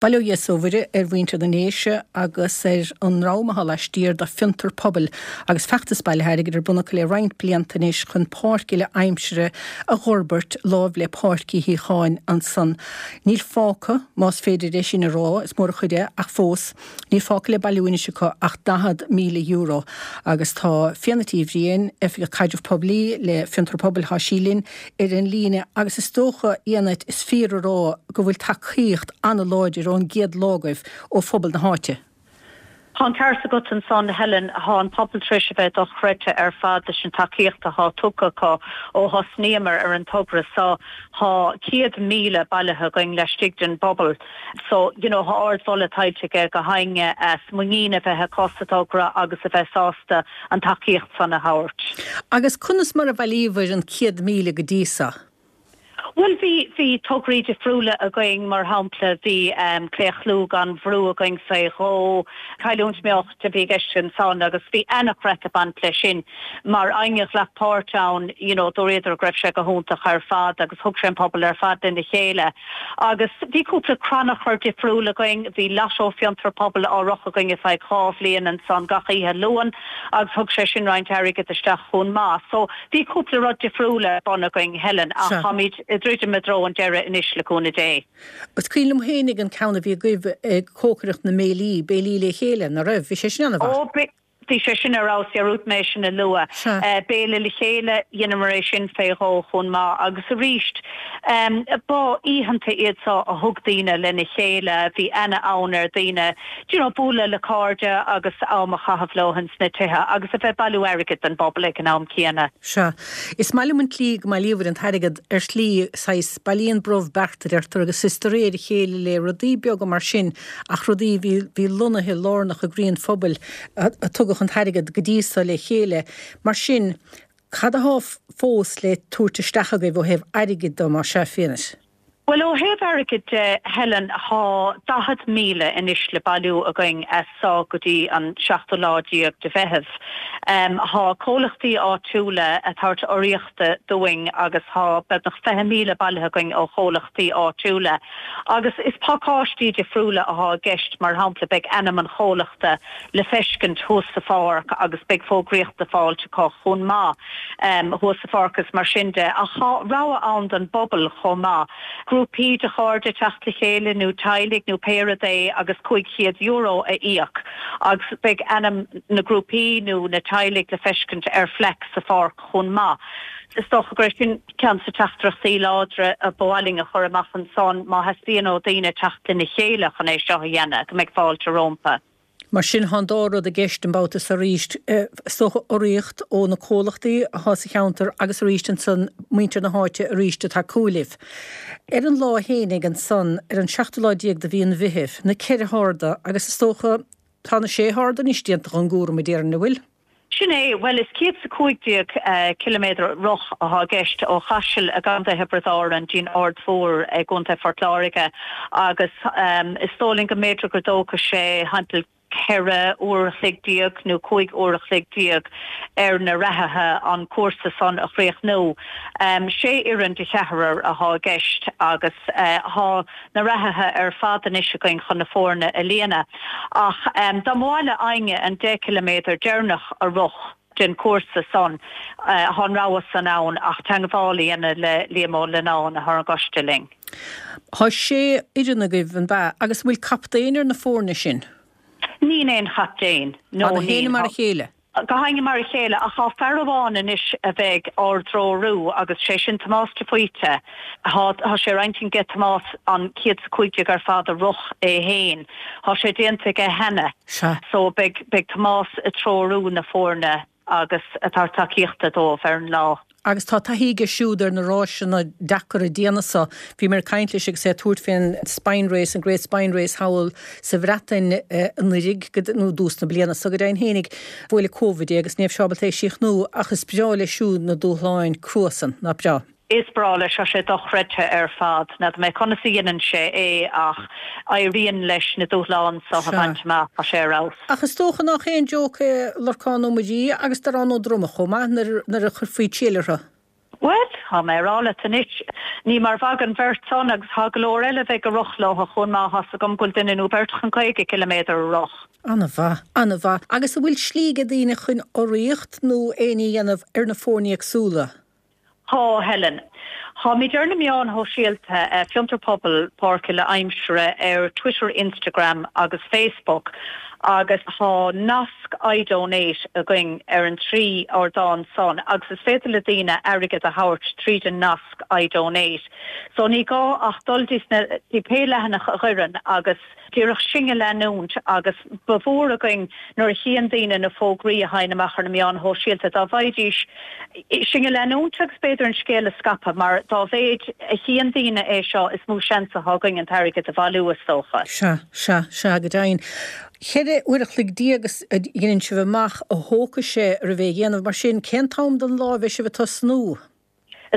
Bail ó Dhia 's ó Mhuire ar mhuintir na nDéise agus ar an ndream atá laistiar de Fiontar Pobail agus feachtas bailithe airgid ar bun acu le roinnt blianta anois chun páirc uile aimsire a dh'fhorbairt láimh le Páirc Uí Shíocháin ansan. Níl fágtha, más féidir é sin a rá, is mór an chuid é ach fós, níl fágtha le bailiú anois acu ach €40,000 agus tá Fiadhnait Uí Bhriain, Oifigeach Caidreamh Poiblí le Fiontar Pobail, tá sí linn ar an líne agus is dócha, a Fhiadhnait, is fíor a rá go bhfuil tacaíocht an-láidir ón gcéad lá agaibh ó phobal na háite. Tá an ceart agat ansan, Helen. Thá an pobal tar éis a bheith dochreidte ar fad leis an tacaíocht athá tugtha acu ó thosnaíomar ar an togra so. Thá 100,000 bailithe againn laistigh den bpobal. So, you know, thá ard-mholadh tuillte aige gach éinne as muinín a bheith acu sa togra agus a bheith sásta an tacaíocht san a thabhairt. Agus conas mar a bhailíobhair an 100,000 go dtí so? Bhuel, bhí, bhí tograí difriúla againn, mar shampla, bhí Claochlú gan Bhrú againn fé dhó, cailliúint meáchain a bhí i gceist ansan agus bhí ana-chraic ag baint leis sin. Mar éinne a ghlac páirt ann, you know, dúradar go raibh sé go hiontach ar fad agus thug sé an pobal ar fad lena chéile. Agus bhí cúpla crannchur difriúil againn, bhí Lotto Fiontar Pobail á rith againn ar feadh 2 bhliain ansan gach oíche Luain agus thug sé sin roinnt airgid isteach chomh maith. So bhí cúpla rud difriúil ar bun againn, Helen, ach táimid ag druidim i dtreo an deiridh anois le cúnamh Dé. Is cuimhin liom féinig an ceann a bhí agaibh ag cócaireacht na mbéilí, béilí le chéile, ná raibh? Bhí sé sin an-mhaith. Ó, Bhí sé sin ar fheabhas, dhearúd mé sin a lua. Sea. Béile le chéile, dheineamar é sin fé dhó chomh maith agus arís, ba oícheanta iad so a thug daoine lena chéile, bhí ana-fhonn ar daoine, do you know, bualadh le cairde agus am a chaitheamh leo ins na tithe agus a bheith bailiú airgid don bpobal ag an am céanna. Sea. Is maith liom an tslí go mbailíobhair an t-airgead ar shlí, saghas, bailíonn brobh beart a deirtear agus is de réir a chéile le rudaí beaga mar sin ach rudaí a bhí, bhí lonnaithe lárnach i gcroí an phobail a tugadh an t-airgead go dtí so le chéile. Mar sin, cad athá fós le tabhairt isteach agaibh ó thaobh airgid de, más ea, Fiadhnait? Bhuel, ó thaobh airgid de, Helen, thá 40,000 anois le bailiú againn as so go dtí an seachtú lá déag de Mheitheamh. Thá comhlachtaí áitiúla ag tabhairt urraíochta dúinn agus thá beagnach 20,000 bailithe againn ó chomhlachtaí áitiúla. Agus is pacáistí difriúla athá i gceist, mar shampla beidh ainm an chomhlachta le feiscint thuas sa pháirc agus beidh fógraíocht le fáilt acu chomh maith thuas sa pháirc is mar sin de. Ach thá rogha ann don bpobal chomh maith, grúpaí de chairde teacht le chéile nó teaghlaigh nó pé rud é agus €500 a íoc agus beidh ainm na grúpaí nó na teaghlaigh le feiscint ar phlaic sa pháirc chomh maith. Is dócha gur sin ceann de na teachtaireachtaí láidre a ba mhaith linn a chur amach ansan, má theastaíonn ó daoine teacht lena chéile chun é seo a dhéanamh, go mbeidh fáilte rómpa. Mar sin, thá an dá rud i gceist an babhta so arís, is dócha urraíocht ó na comhlachtaí athá sa cheantar agus arís ansan muintir na háite arís ag tacú libh. Ar an lá fhéinig ansan, ar an seachtú lá déag de mhí an Mheithimh, na ceithre harda agus is dócha tá na sé harda anois déanta dhon gcúram a déarfainn, an bhfuil? Sin é. Bhuel, is 115 ciliméadar rith athá i gceist ó Chaiseal i gContae Thiobraid Árann dtí'n Aird Mhór i gContae Phort Láirge agus is dóigh linn go mb'fhéidir go dtógfaidh sé thimpeall ceithre uair a chloig déag nó cúig uair a chloig déag ar na reathaithe an cúrsa san a chríochnú. Sé fhoireann de cheathrar athá i gceist agus thá na reathaithe ar fad anois againn chun na foirne a líonadh. Ach dá mba mhaith le éinne an 10 ciliméadar deireanach a rith den chúrsa san, thá an rogha san ann ach teangmháil a dhéanamh le Liam Ó Lionáin athá ar an gcoiste linn. Thá sé fhoireann agaibh, an b'ea? Agus an bhfuil captaen ar na foirne sin? Níl aon chaptaen, no Tá na héinne mar a chéile? Gach éinne mar a chéile, ach thá fear amháin anois a bheidh ár dtreorú agus sé sin Tomás de Faoite. Thá, thá sé ar intinn age Tomás an 115 ar fad a rith é fhéin. Thá sé déanta aige cheana. Sea. So beidh, beidh Tomás ag treorú na foirne agus ag tabhairt tacaíochta dóibh ar an lá. Agus tá taithí aige siúd ar na ráiseanna deacair diana so. Bhí mé ag caint leis agus é ag tabhairt fén Spine Race, an Great Spine Race thall sa Bhreatain anuiridh, nó i dtús na bliana so go deimhin fhéinig. Bhuail Covid é agus ní raibh sé ábalta é a chríochnú ach is breá leis siúd na dúshláin crua san, nach breá? Is breá leis, tá sé dochreidte ar fad. N'fheadar mé conas a dheineann sé é ach éiríonn leis na dúshláin so a bhaint amach, tá sé ar fheabhas. Ach is dócha nach aon joke é Lorcán Ó Muirí agus Darán Ó Droma chomh maith nuair a chuirfí triail orthu. Bhuel, tá mé a rá leat anois, ní mar bheadh an bheirt san agus tá go leor eile a bheidh ag rith leo chomh maith, tá's agam go bhfuil duine nó beirt chun 50 ciliméadar a rith. Ana-mhaith, ana-mhaith. Agus an bhfuil slí ag daoine chun urraíocht nó aon ní a dhéanamh ar na foirne éagsúla? Tá, Helen. Táimid ar na meáin shóisialta, Fiontar Pobail, Páirc Uile Aimsire ar Twitter, Instagram agus Facebook agus tá nasc iDonate againn ar an dtrí ardán san agus is féidir le daoine airgead a thabhairt tríd an nasc iDonate. So ní gá ach dul dtí pé leathanach a oireann agus díreach sinn a leanúint agus ba mhór againn nuair a chíonn daoine na fógraí a thagann amach ar na meáin shóisialta dá bhfaighidís sinn a leanúint agus b'fhéidir an scéal a scaipeadh mar dá mhéid a chíonn daoine é seo is mó seans atá againn an t-airgead a bhailiú is dócha. Sea, sea, sea, go deimhin. 14 uair a chloig a dheineann sibh amach a thógfaidh sé roimh é a dhéanamh, mar sin cén t-am den lá a bheidh sibh ag tosnú?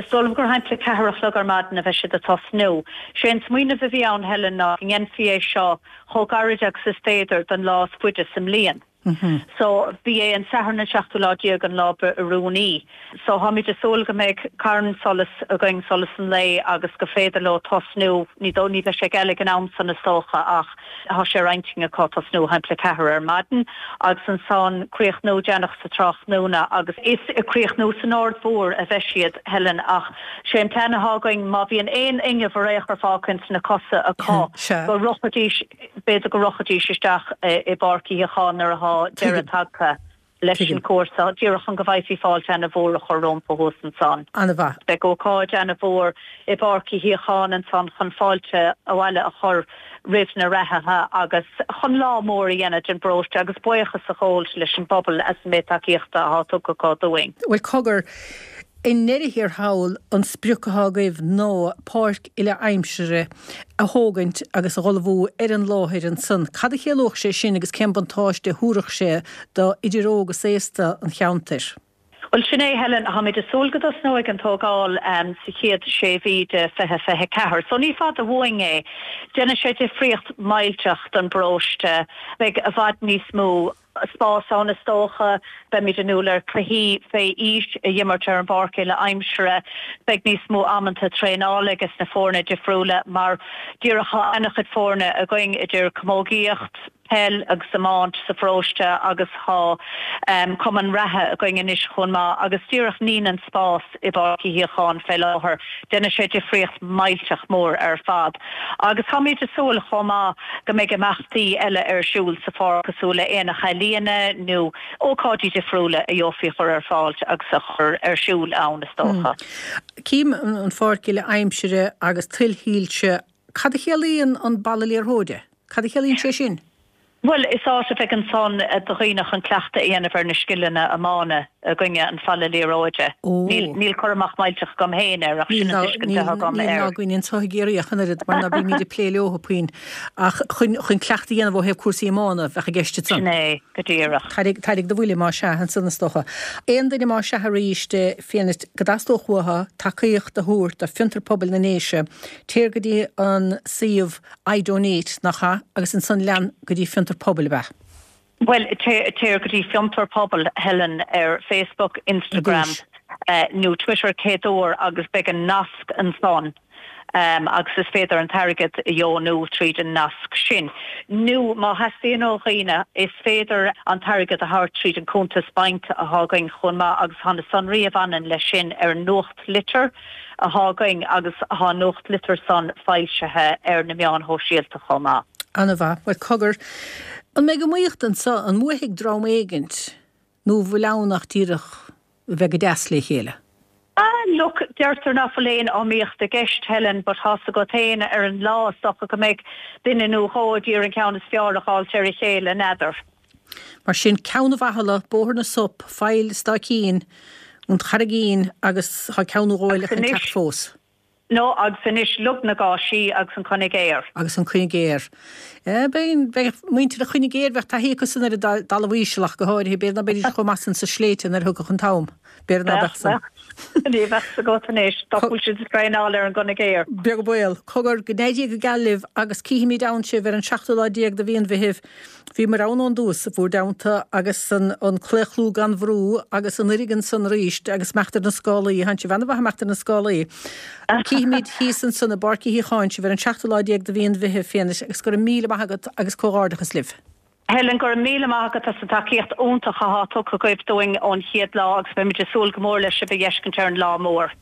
Is dóigh liom gur thimpeall 4 a chlog ar maidin a bheidh siad ag tosnú. Sé an smaoineamh a bhí ann, Helen, ná go ndéanfaí é seo chomh gairid agus is féidir don lá is faide sa mbliain. So, ba é an Satharn an seachtú lá déag an lá ba oiriúnaí. So, táimid ag súil go mbeidh carn solais againn, solas an lae, agus gur féidir leo tosnú, ní ní bheidh sé geal ag an am san is dócha ach, Tá sé ar intinn acu tosnú thimpeall 4 ar maidin agus ansan críochnú déanach sa tráthnóna agus is ag críochnú san Aird Mhór a bheidh siad, Helen, ach sé an plean atá againn má bhíonn aon fhuinneamh ar aon chor fágtha ins na cosa acu go rachaidís, b'fhéidir go rachaidís isteach i bPáirc Uí Shíocháin nuair atá deireadh tagtha. leis an chúrsa, díreach chun go bhfaighfí fáilte ana-mhór a chur rómpa thuas ansan. Ana-mhaith. Beidh ócáid ana-mhór i bPáirc Uí Shíocháin ansan chun fáilte abhaile a chur roimh na reathaithe agus chun lá mór a dhéanamh den bparóiste agus buíochas a ghabháilt leis an bpobal as an méid tacaíochta atá tugtha acu dúinn. Bhuel, cogar, i ndeireadh thiar thall, an sprioc atá agaibh ná páirc uile-aimsire a thógaint agus a dh'ullmhú ar an láthair ansan. Cad a chiallódh sé sin agus cén buntáiste a thabharfadh sé do idir óg is aosta an cheantair? Bhuel, sin é, Helen. Táimid ag súil go dtosnóidh an tógáil sa chéad sé mhí de 2024. So ní fada uainn é. Déanfaidh sé difríocht millteach don bparóiste. Beidh i bhfad níos mó. spás ann is dócha. Beimid ag súil le cluichí fé aois a dh'imirt ar an bpáirc uile aimsire. Beidh níos mó amanta traenála ages na foirne difriúla mar díreach tá ana-chuid foirne againn idir camógaíocht, peil agus iomáint sa pharóiste agus tá cumann reatha againn anois chomh maith agus díreach níl an spás i bPáirc Uí Shíocháin fé láthair. Déanfaidh sé difríocht millteach mór ar fad. Agus táimid ag súil chomh maith go mbeidh imeachtaí eile ar siúl sa pháirc cosúil le aonach ealaíona nó ócáidí difriúla a gheofaí a chur ar fáil agus a chur ar siúl ann is dócha. Cím an pháirc uile aimsire agus tuilshoilse. Cad a chiallaíonn an balla liathróide? Cad a chiallaíonn sé sin? Bhuel, is áit a bheidh ansan do dhaoine chun cleachtadh a dhéanamh ar na scileanna iomána againne, an falla liathróide. Níl, níl cur amach millteach agam féin air ach sin an tuiscint atá agam air. Níl ná againn anseo i gCiarraí ach an oiread mar ná bímid ag plé leo puinn. Ach chun, chun cleachtadh a dhéanamh ó thaobh cúrsaí iomána bheadh i gceist ansan. Sin é, go díreach. Tairg, tairg do bhuille más ea ansan is dócha. Aon duine más ea arís féin go dteastódh uathu tacaíocht a thabhairt do Fiontar Pobail na nDéise, téir go dtí an suíomh iDonate, nach ea? Agus ansan lean go dtí Fiontar Pobail, ab ea? Bhuel, téir go dtí Fiontar Pobail, Helen, ar Facebook, Instagram nó Twitter céad uair agus beidh an nasc ansan agus is féidir an t-airgead a dheonú tríd an nasc sin. Nó má theastaíonn ó dhaoine, is féidir an t-airgead a thabhairt tríd an cuntas bainc atá againn chomh maith agus tá na sonraí a bhaineann leis sin ar an nuachtlitir. athá againn agus thá an nuachtlitir san foilsithe ar na meáin shóisialta chomh maith. Ana-mhaith. Bhuel, cogar, an mbeidh iomaíocht anso? An mbuafaidh dream éigint nó an bhfuil ann ach díreach a bheith go deas le chéile? Ah, look, deirtear ná fuil aon iomaíocht i gceist, Helen, but thá's agat féin, ar an lá, is dócha go mbeidh duine nó dhó a d'iarraidh an ceann is fearr a dh'fháilt ar a chéile, n'fheadar. Mar sin, Ceann an Bhachalla, Bóthar na Sop, Faill Staicín, an Charraigín agus tá ceann nó dhó eile chun teacht fós. No, agus anois Log na gCáisí agus an Coinigéar. Agus an Coinigéar. Beidh, beidh muintir an Choinigéir, bheadh taithí acu san ar an dtalamh íseal ach go háirithe, b'fhéidir ná beidís chomh maith san sa sléibhte nuair a thiocfadh an t-am. B'fhéidir ná beadh san. Ní bheadh fhios agat anois, dá bhfuil siad ag traenáil ar an gCoinigéar. Beag baol. Cogar, go n-éirí go geal libh agus cífimid ann sibh ar an seachtú lá déag de mhí an Mheithimh. Bhíomar ann ón dtús, bhúr dteannta, agus an claochlú gan bhrú agus an fhoirg ansan arís agus imeacht ar na scálaí, thánn sibh ana-mhaith imeacht ar na scálaí. Cífimid thíos ansan i bPáirc Uí Shíocháin sibh ar an seachtú lá déag de mhí an Mheithimh, Fiadhna, agus go raibh míle maith agat agus comhghairdeachas libh. Helen, go raibh míle maith agat as an tacaíocht iontach athá tugtha agaibh dúinn ón chéad lá agus beimid ag súil go mór le sibh a dh'fheiscint ar an lá mór.